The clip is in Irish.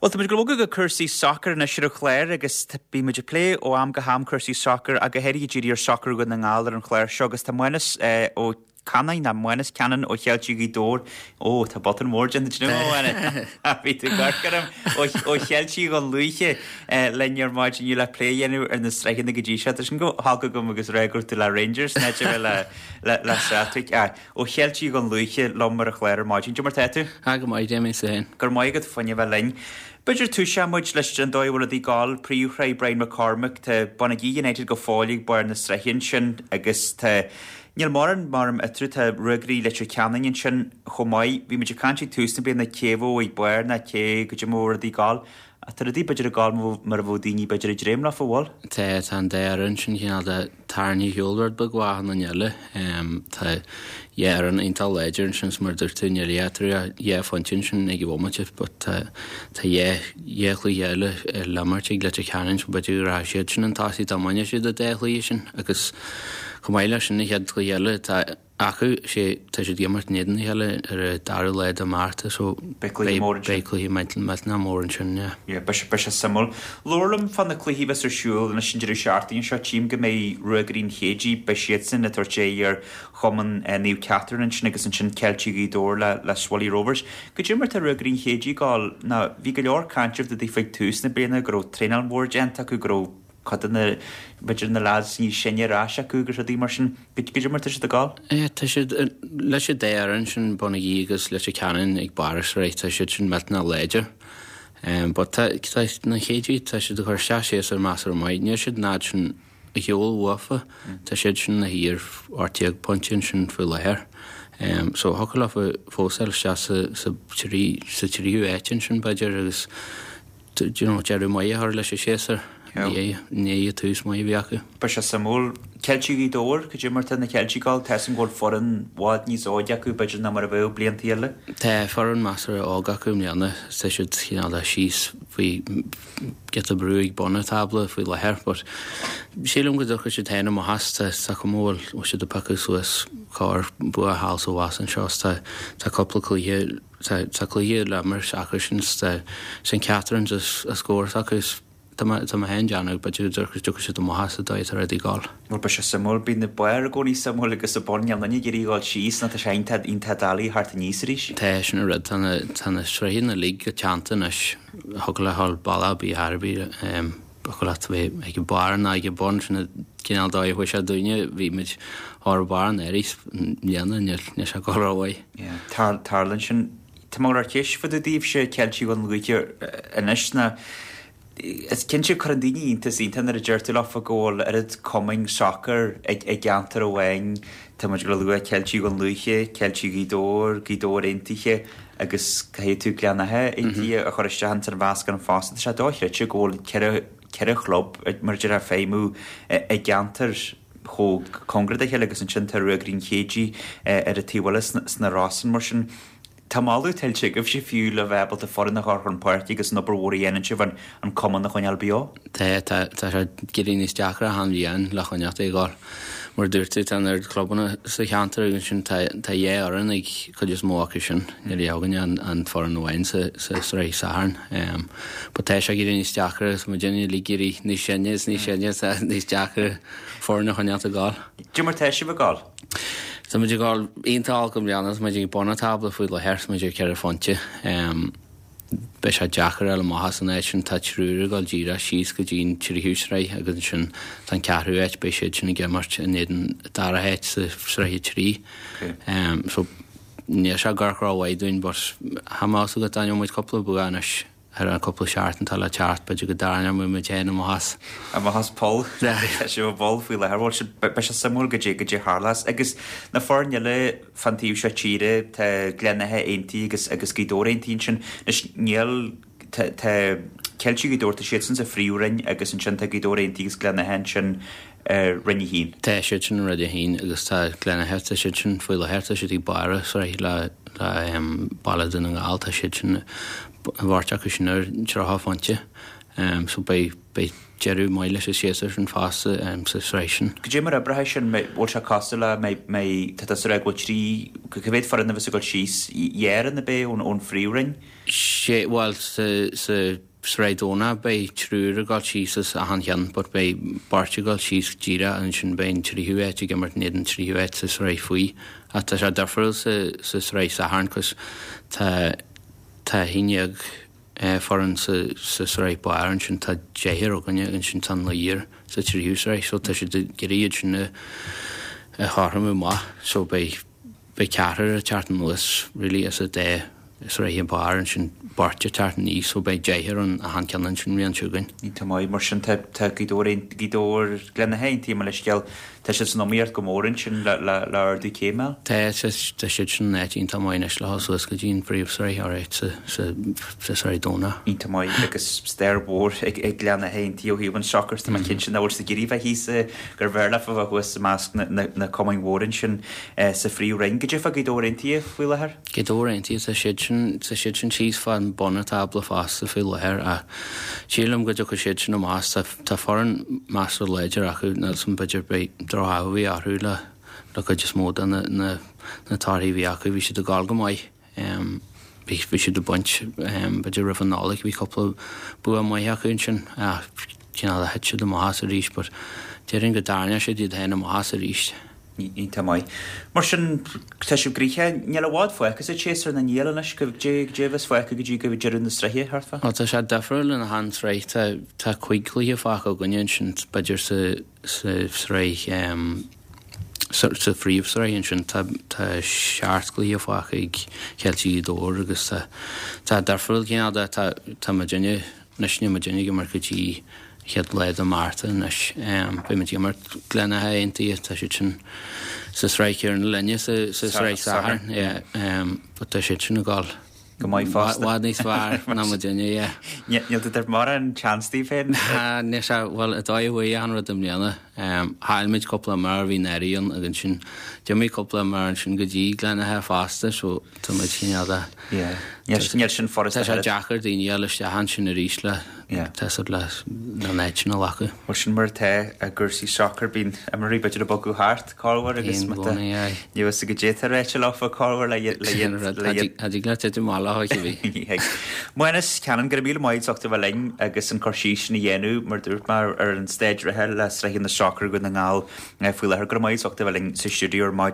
Bhuel, tá muid ag dul a bhogadh go cúrsaí sacair anois ar an chlár agus bíonn muid ag plé ó am go ham cúrsaí sacair ach go háirithe ag díriú ar sacar Dhún na nGall ar an chlár seo agus tá Mánas Ó Cannáin, nó Mánas Cannon ó Cheiltigh Ghaoth Dobhair, ó, tá botún mór déanta ansin agam, a Mhánais, bhí tú ag amharc orm, ó Cheiltigh Dhún Lúiche linn ar maidin inniu le plé a dhéanamh ar na sraitheanna go dtí seo. Tá sin chomh holc agam agus rá go raibh tú le Rangers in áit a bheith le Celtic. Ó Cheiltigh Dhún Lúiche liom ar an chlár ar maidin. Cad é mar tá tú? Ah, go maith, Damien, is tú féin? Go raibh maith agat fá choinne a bheith linn. B'fhéidir toiseoidh muid leis an dóigh a bhfuil rudaí ag gabháil, Príomhshraith Brian McCormack, tá Bonagee United go fóill ag barr na sraithe ansin agus tá, níl mórán maram eatarthu, tá Ruagairí Leitir Ceanainn ansin chomh maith. Bhí muid ag caint ag tús na bliana cé a bheadh ag barr ná cé goidé mar a bheadh rudaí ag gabháil. Ach tá rudaí b'fhéidir ag gabháil mar a bheadh daoine b'fhéidir ag dréim leofa, an bhfuil? Tá, tá an dá fhoireann sin cineál de tarraingthe ar shiúl rud beag ó achan duine eile. Tá dhá fhoireann iontach láidir ansin is mar a dúirt tú níl eatarthu ach dhá phointe ansin ag an bhomaite but tá tá dhá dhá chluiche eile le imirt ag Leitir Ceanainn so b'fhéidir go rachadh siad sin chun tosaigh dá mbainfeadh siad an dá chluiche sin agus chomh maith leis sin an chéad chluiche eile tá acu. Sé, tá siad ag imirt in éadan a chéile ar an dara lá de Márta so Beidh cluiche mór ansin. beidh cluiche millteanach mór ansin, yeah. Yeah, beidh sé, beidh sé suimiúil. Labhair liom fá na cluichí a bheas ar siúl anois an deireadh seachtaine seo. Tchím go mbeidh Ruagairí an Chéidigh, beidh siadsan ag tabhairt aghaidh ar Chumann Naomh Catherine ansin agus ansin Ceiltigh Ghaoth Dobhair le, le Swilly Rovers. Goidé mar tá Ruagairí an Chéidigh ag gabháil, ná bhí go leor cainte fá dtaobh ag tús na bliana go raibh traenáil mhór déanta acu, go raibh cuid de na, b'fhéidir na lads níos sine ar ais acu agus rudaí mar sin. Goidé mar tá siad ag gabháil? Yeah, tá siad, leis an dá fhoireann sin, Bonagee agus Leitir Ceanainn ag barr an sraith, tá siad sin millteanach láidir. But tá, tá na Céidigh, tá siad ag cur isteach séasúr measartha maith. Níl siad an fhad sin ar shiúl uafa, tá siad sin ina shuí ar 18 pointe ansin faoi láthair. So thiocfadh leofa fós a fháil isteach sa, sa trí, sa tríú áit ansin b'fhéidir agus do you know, deireadh maith a chur leis an séasúr i ndiaidh an tús maith a bhí acu. Beidh sé suimiúil. Ceiltigh Ghaoth Dobhair, cad é mar tá na Ceiltigh ag gabháil? Tá 'fhios a'm go bhfuil foireann i bhfad níos óige acu b'fhéidir ná mar a bheadh blianta eile. Tá foireann measartha óg acu i mbliana. Tá siad cineál de síos faoi giota brú ag bun an tábla faoi láthair but sílim go dtiocfaidh siad féin amach as. Tá tá cuma go bhfuil siad ag piocadh suas corr bua thall is abhus anseo is tá tá cúpla cluiche Tá cluiche le imirt acu sin tá St Catherine's as scór s'acu is tá mé tá mé féin ag déanamh b'fhéidir go dtiocfaidh siad amach as an dóigh atá rudaí ag gabháil. Bhuel beidh sé suimiúil, bíonn na barr i gcónaí suimiúil agus an bun, níl aon duine ag iarraidh a dhul síos nó tá sé iontach iontach doiligh theacht aníos arís. Tá, sin an rud, tá na tá na sraitheanna uilig go teannta anois, thiocfadh leat a dhul bealach ar bith thar ar bith. Thiocfadh leat a bheith ag an barr ná ag an bun, sin an cineál dóigh a chuaigh sé dúinne, bhí muid thar barr an earraigh i mbliana, níl sé ag dul rómhaith. Yeah, tarlaíonn sin. Tá mé ag ceist fá dtaobh daoibhse Ceiltigh Dhún Lúiche anois ná is cinnte cuireann daoine iontas iontach nuair a deir tú leofa go bhfuil oiread cumainn sacair i gceantar amháin, tá muid ag lua Ceiltigh Dhún Lúiche, Ceiltigh Ghaoth Dobhair, Gaoth Dobhair Aontaithe, agus caithfidh tú Gleann Átha Aontaithe a chur isteach ins an mheascán fosta. Tá sé dochreidte go bhfuil ceithre, ceithre chlub, mar a déarfá, ag feidhmiú i gceantar chomh cóngarach dá chéile agus ansin tá Ruagairí an Chéidigh ar an taobh eile sna Rosann. Mar sin, tá moladh tuillte agaibhse fiú le bheith ábalta foireann a chur chun páirce agus an obair mhór a dhéanann sibh an an cumann a choinneáil beo. Tá, tá, tá sé ag éirí níos deacra achan bhliain le coinneáil ag gabháil. Mar a dúirt tú, tá an oiread clubanna sa cheantar agus ansin tá tá dhá fhoireann ag cuid is mó acu sin. Níl againne ach an foireann amháin sa sa sraith Sathairn. But tá sé ag éirí níos deacra agus muid uilig ag éirí níos sine is níos sine tá níos deacra foireann a choinneáil ag gabháil. Cad é mar tá sibh ag gabháil? Tá muid ag gabháil iontach olc i mbliana, tá muid ag bun an tábla faoi láthair, tá muid ar cheithre phointe. Beidh sé deacair a fháil amach as an áit sin. Tá triúr ag dul díreach síos go dtí an tríú sraith agus ansin tá an ceathrú áit, beidh siad sin ag imirt in éadan an dara háit sa sraith 3. So níl sé ag amharc rómhaith dúinn but tá a fhios agat dá ngeobhadh muid cúpla bua anois ar an cúpla seachtain atá le teacht, b'fhéidir go dtarraingeoidh muid féin amach as. Amach as poll. Tá sibh i bpoll faoi láthair. Bhuel, beidh sé suimiúil goidé goidé a tharlós. Agus na foirne eile, Fán taobh seo tíre tá Gleann Átha Aontaithe agus agus Gaoth Dobhair Aontaithe ansin. Anois níl, tá, tá Ceiltigh Ghaoth Dobhair, tá siadsan sa phríomhroinn agus ansin tá Gaoth Dobhair Aontaithe agus Gleann Átha ansin ar Roinn 1. Tá siad sin i Roinn 1 agus tá Gleann Átha, tá siad sin faoi láthair, tá siad ag barr an sraith le, le Baile Dún na nGall, tá siad sin, an bheirt acu sin ar 30 phointe. So beidh, beidh deireadh maith leis an séasúr sin fosta sa sraith sin. Goidé mar oibreoidh sin, bhfuil sé cosúil le, mbeidh, tá tusa ag rá go bhfuil trí, cá mhéad foireann a bheas ag dul síos, dhá fhoireann ab é ón phríomhroinn? Sé, bhuel sa, sa Sraith Domhnach beidh triúr ag dul síos as achan cheann but beidh beirt ag dul síos díreach ansin beidh an tríú háit ag imirt in éadan an tríú háit sa sraith faoi. Ach tá sé difriúil sa, sa sraith Sathairn cos tá, tá 11 foireann sa, sa sraith barr ansin tá deichniúr againne ansin tá naonúr sa tríú sraith so tá siad ag iarraidh iad sin a, a chothromú amach so beidh, Beidh ceathrar ag teacht anuas really as an dá sraith an barr ansin beirt ag teacht aníos so beidh deichniúr in achan ceann ansin an bhliain seo chugainn. Iontach maith, mar sin tá tá Gaoth Dobhair Gaoth Dobhair Gleann Átha Aontaithe mo leithscéal, tá siad san iomaíocht go mór ansin le le le ardú céime. Tá tá tá siad sin in áit iontach maith anois le dhul suas go dtí an phríomhshraith alright sa sa sa sraith Domhnach. Iontach maith agus stair mhór ag ag Gleann Átha Aontaithe ó thaobh an sacair tá mé cinnte nach bhfuil siad ag iarraidh bheith thíos gurbh fhearr leofa bheith thuas i measc na na na cumainn mhóra ansin. sa Phríomhroinn. Goidé fá Gaoth Dobhair Aontaithe faoi láthair? Gaoth Dobhair Aontaithe, tá siad sin, tá siad sin síos fán bun an tábla fosta faoi láthair ach sílim go dtiocfaidh siad sin amach. Tá, tá foireann measartha láidir acu, níl 's a'm b'fhéidir beidh droch-ádh a bhí orthu le, le cuid is mó de na, na, na torthaí a bhí acu. Bhí siad ag gabháil go maith. Bhí siad ag baint, b'fhéidir roimh an Nollaig, bhí cúpla bua maith acu ansin ach cineál thit siad amach as arís but déarfainn go dtarraingeoidh siad iad féin amach as arís. Iontach maith. Mar sin, tá sibh gnoitheach, níl i bhfad fágtha sa tséasúr nó níl anois, goidé a bheas fágtha go dtí go deireadh na sraithe, thart fá? Bhuel tá sé difriúil in achan sraith, tá tá cuig chluiche fágtha againne ansin b'fhéidir sa sa sraith sa phríomhshraith ansin tá seacht gcluiche fágtha ag Ceiltigh Ghaoth Dobhair agus tá tá difriúil cineál de tá tá muidinne anois níl muidinne ag imirt go dtí chéad lá de Márta anois. Beidh muid ag imirt Gleann Átha Aontaithe tá siad sin sa sraith chéanna linne sa sa sraith Sathairn yeah but tá siad sin ag dul go maith fosta. I bhfad níos fearr ná muidinne, yeah. Níl tú ag tabhairt mórán chance daoibh féin? Níl sé, bhuel, an dóigh a chuaigh achan rud i mbliana, chaill muid cúpla imreoir a bhí náirithe ann agus ansin d'imigh cúpla imreoir ansin go dtí Gleann Átha fosta so tá muid cineál de. Yeah. Níl sin furasta. Tá sé deacair daoine a fháil isteach ansin arís le, tá siad le an áit sin a ghlacadh. Bhuel sin mar atá i gcúrsaí sacair, bíonn imreoirí b'fhéidir ag bogadh thart. Corruair agus má tá ní fhios goidé atá ráite leofa corruair le le Cha dtig leat titim amach leo cibé. Ní thig. Mánas Cannon, go raibh míle maith agat as ucht a bheith linn agus an cur síos sin a dhéanamh, mar dúirt mé, ar an staid reatha le sraitheanna sacair Dhún na nGall faoi láthair. Go raibh maith agat as ucht a bheith linn sa stiúideo ar maidin.